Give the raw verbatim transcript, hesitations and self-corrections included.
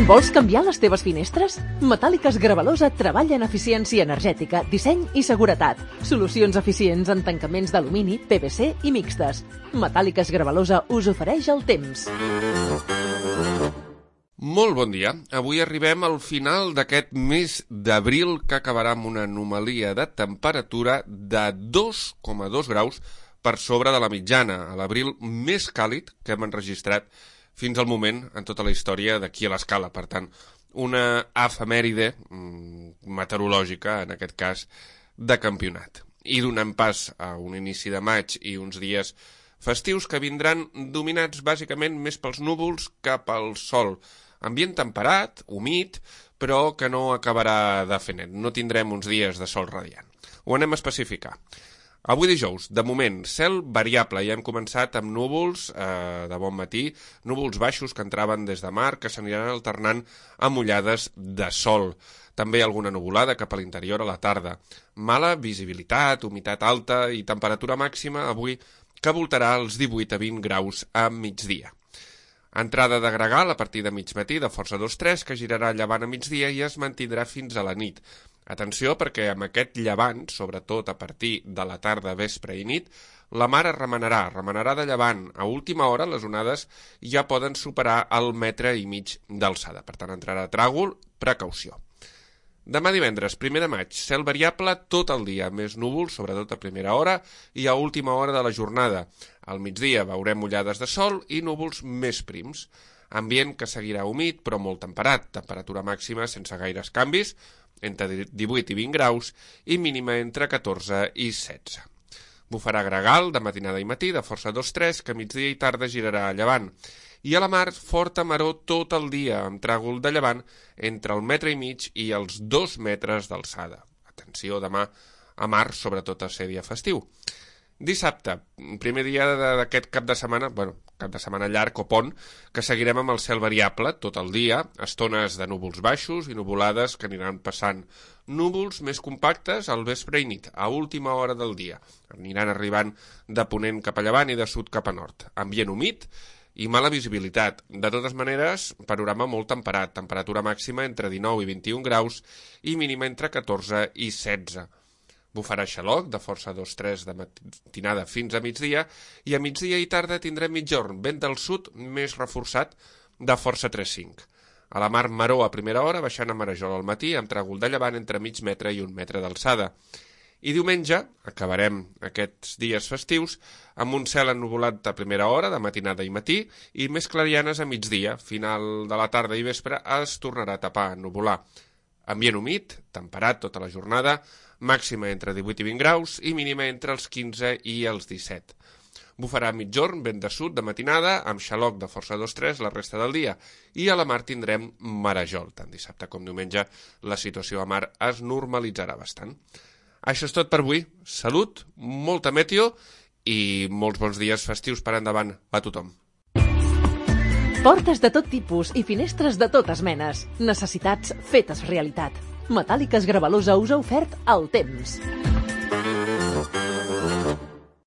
Vols canviar les teves finestres? Metàl·liques Gravalosa treballa en eficiència energètica, disseny i seguretat. Solucions eficients en tancaments d'alumini, P V C i mixtes. Metàl·liques Gravalosa us ofereix el temps. Molt bon dia. Avui arribem al final d'aquest mes d'abril que acabarà amb una anomalia de temperatura de dos coma dos graus per sobre de la mitjana, a l'abril més càlid que hem enregistrat fins al moment en tota la història d'aquí a l'Escala. Per tant, una efemèride meteorològica, en aquest cas, de campionat. I donant pas a un inici de maig i uns dies festius que vindran dominats bàsicament més pels núvols que pel sol. Ambient temperat, humit, però que no acabarà de fer net. No tindrem uns dies de sol radiant. Ho anem a especificar. Avui dijous, de moment, cel variable. Ja hem començat amb núvols eh, de bon matí, núvols baixos que entraven des de mar, que s'aniran alternant amb ullades de sol. També alguna nuvolada cap a l'interior a la tarda. Mala visibilitat, humitat alta i temperatura màxima avui que voltarà els divuit a vint graus a migdia. Entrada de gregal a partir de mig matí de força dos tres que girarà llevant a migdia i es mantindrà fins a la nit. Atenció perquè amb aquest llevant, sobretot a partir de la tarda, vespre i nit, la mar es remenarà, remenarà de llevant. A última hora les onades ja poden superar el metre i mig d'alçada. Per tant, entrarà tràgol, precaució. Demà divendres, primer de maig, cel variable tot el dia, més núvols, sobretot a primera hora i a última hora de la jornada. Al migdia veurem ullades de sol i núvols més prims. Ambient que seguirà humit però molt temperat, temperatura màxima sense gaires canvis, entre divuit i vint graus i mínima entre catorze i setze. Bufarà gregal de matinada i matí de força dos tres que migdia i tarda girarà a llevant. I a la mar, forta maror tot el dia, amb tràgol de llevant entre el metre i mig i els dos metres d'alçada. Atenció demà a mar, sobretot a ser dia festiu. Dissabte, primer dia d'aquest cap de setmana, bueno, cap de setmana llarg o pont, que seguirem amb el cel variable tot el dia, estones de núvols baixos i nuvolades que aniran passant. Núvols més compactes al vespre i nit, a última hora del dia. Aniran arribant de ponent cap a llevant i de sud cap a nord. Ambient humit i mala visibilitat. De totes maneres, panorama molt temperat, temperatura màxima entre dinou i vint-i-un graus i mínima entre catorze i setze. Bufarà xaloc de força dos tres de matinada fins a migdia i a migdia i tarda tindrem mitjorn, vent del sud més reforçat de força tres cinc. A la mar maró a primera hora, baixant a Marajol al matí, amb tràgol de llevant entre mig metre i un metre d'alçada. I diumenge acabarem aquests dies festius amb un cel ennuvolat a primera hora, de matinada i matí, i més clarianes a migdia. Final de la tarda i vespre es tornarà a tapar, a ennuvolar. Ambient humit, temperat tota la jornada, màxima entre divuit i vint graus i mínima entre els quinze i els disset. Bufarà mitjorn, vent de sud de matinada, amb xaloc de força dos tres la resta del dia. I a la mar tindrem marejol. Tant dissabte com diumenge la situació a mar es normalitzarà bastant. Això és tot per avui. Salut, molta meteo i molts bons dies festius per endavant a tothom. Portes de tot tipus i finestres de totes menes. Necessitats fetes realitat. Metàl·liques Gravalosa us ha ofert el temps.